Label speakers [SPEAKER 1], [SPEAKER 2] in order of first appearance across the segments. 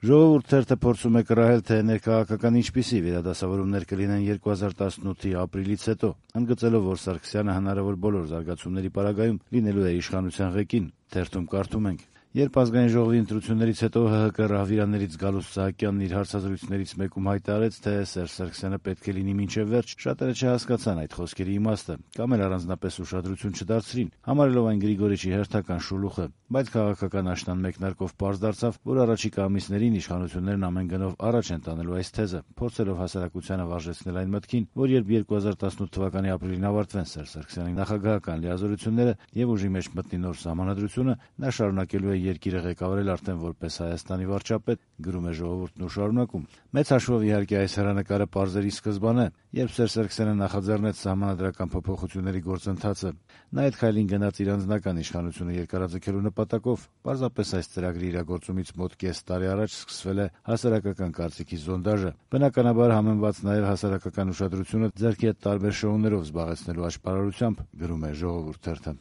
[SPEAKER 1] Ժողովուրդ թերթը փորձում է կռահել, թե ներքաղաքական ինչպիսի վերադասավորումներ կլինեն 2018-ի ապրիլից հետո, ընդգծելով, որ Սարգսյանը հնարավոր բոլոր զարգացումների պարագայում լինելու է իշխանության ղեկին։ Թերթում կարդում ենք. Երբ Ազգային ժողովի ընտրություններից հետո ՀՀԿ ռահվիրաներից Գալուստ Սահակյանն իր հարցազրույցներից մեկում հայտարարեց, թե Սերժ Սարգսյանը պետք է լինի մինչև վերջ, շատերը չհասկացան այդ խոսքերի իմաստը, կամ էլ առանձնապես ուշադրություն չդարձրին, համարելով այն Գրիգորիչի հերթական շուլուխը, բայց քաղաքական աշնան մեկնարկով պարզ դարձավ, որ առաջիկա ամիսներին իշխանություններն ամեն գնով առաջ են տանելու այս թեզը, փորձելով հասարակությանը վարժեցնել այն մտքին, որ երբ 2018 թվականի ապրիլին ավարտվեն Սերժ Սարգսյանի նախագահական լիազորությունները եւ ուժի մեջ մտնի նոր սահմանադրությունը, նա շարունակելու է երկիրը ղեկավարել արդեն որպես Հայաստանի վարչապետ, գրում է Ժողովուրդն ու շարունակում. Մեծ հաշվով իհարկե այս հեռանկարը պարզերի սկզբան է, երբ Սերժ Սարգսյանը նախաձեռնեց սահմանադրական փոփոխությունների գործընթացը, նա այդ քայլին գնաց իր անձնական իշխանությունը երկարաձգելու նպատակով, պարզապես այս ծրագրի իրագործումից մոտ կես տարի առաջ սկսվել է հասարակական կարծիքի զոնդաժը, բնականաբար համեմված նաև հասարակական ուշադրությունը ձեռքի հետ տարբեր շոուներով զբաղեցնելու աշխարհությամբ, գրում է Ժողովուրդ թերթը։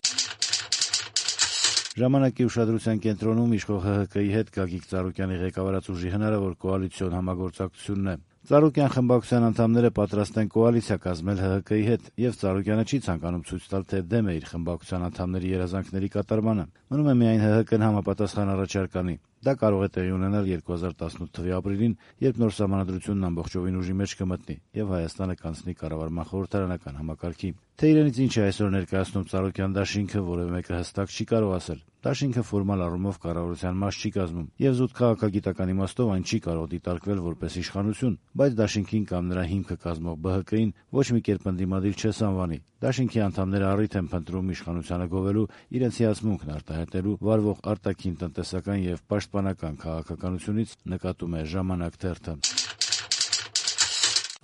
[SPEAKER 1] Ժամանակի ուշադրության կենտրոնում իշխող ՀՀԿ-ի հետ Գագիկ Ծառուկյանի ղեկավարած ուժի հնարավոր կոալիցիոն համագործակցությունն է։ Ծառուկյան խմբակցության անդամները պատրաստ են կոալիցիա կազմել ՀՀԿ-ի հետ, եւ Ծառուկյանը չի ցանկանում ցույց տալ, թե դեմ է իր խմբակցության անդամների երազանքների կատարմանը։ Մնում է միայն ՀՀԿ-ն համապատասխան առաջարկ անի։ Դա կարող է տեղի ունենալ 2018 թվականի ապրիլին, երբ նոր սահմանադրությունն ամբողջովին ուժի մեջ կմտնի եւ Հայաստանը կանցնի կառավարման խորհրդարանական համակարգի։ Թե իրենից ինչ է այսօր ներկայացնում Ծառուկյան դաշինքը, որևէ մեկը հստակ չի կարող ասել։ Դաշինքը ֆորմալ առումով կառավարության մաս չի կազմում, եւ զուտ քաղաքագիտական իմաստով այն չի կարող դիտարկվել որպես իշխանություն, բայց դաշինքին կամ նրա հիմքը կազմող ԲՀԿ-ին ոչ մի կերպ ընդդիմադիր չես անվանի։ Դաշինքի անդամները առիթ են փնտրում իշխանությանը գովելու, իրենց հիացմունքն արտահայտելու վարվող արտաքին տնտեսական եւ պաշտպանական քաղաքականությունից, նկատում է Ժամանակ թերթը։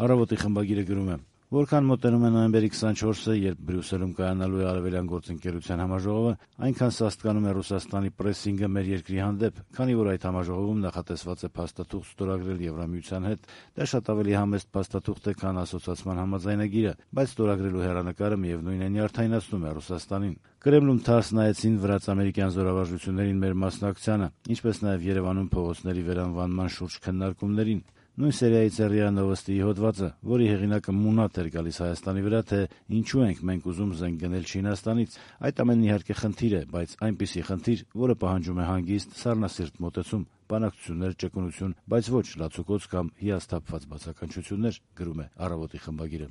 [SPEAKER 1] Առավոտի խմբագիրը գրում է. Որքան մոտենում է նոյեմբերի 24-ը, երբ Բրյուսելում կայանալու է Արևելյան գործընկերության համաժողովը, այնքան սաստկանում է Ռուսաստանի պրեսինգը մեր երկրի հանդեպ, քանի որ այդ համաժողովում նախատեսված է փաստաթուղթ ստորագրել Եվրամիության հետ։ Դա շատ ավելի համեստ փաստաթուղթ է, քան ասոցիացման համաձայնագիրը, բայց ստորագրելու հեռանկարը միևնույն է նյարդայնացնում է Ռուսաստանին։ Կրեմլում թարս նայեցին վրաց-ամերիկյան զորավարժություններին մեր մասնակցությանը, ինչպես նաև Երևանում փողոցների վերանվանման շուրջ քննարկումներին։ Նույն սերիայից է ՌԻԱ Նովոստիի հոդվածը, որի հեղինակը մունատ էր գալիս Հայաստանի վրա, թե ինչու ենք մենք ուզում զենք գնել Չինաստանից։ Այդ ամենն իհարկե խնդիր է, բայց այնպիսի խնդիր, որը պահանջում է հանգիստ, սառնասիրտ մոտեցում, բանակցություններ, ճկունություն, բայց ոչ լացուկոծ կամ հիասթափված բացականչություններ, գրում է Առավոտի խմբագիրը։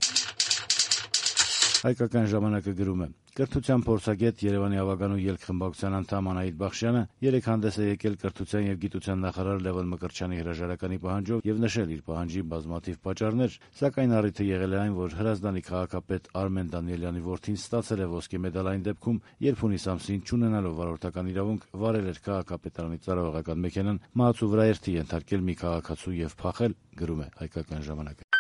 [SPEAKER 1] Հայկական ժամանակը գրում է. Կրթության փորձագետ Երևանի ավագանու ելք խմբակցության անդամ Անահիտ Բախշյանը երեկ հանդես է եկել կրթության եւ գիտության նախարար Լևոն Մկրտչյանի հրաժարականի պահանջով եւ նշել իր պահանջի բազմաթիվ պատճառներ, սակայն առիթը եղել է այն, որ Հրազդանի քաղաքապետ Արմեն Դանիելյանի որդին ստացել է ոսկե մեդալ այն դեպքում, երբ հունիս ամսին չունենալով վարորդական իրավունք վարել էր քաղաքապետարանի ծառայողական մեքենան, մահացու վրա երթի ենթարկել մի քաղաքացու եւ փախել, գրում է Հայկական ժամանակը։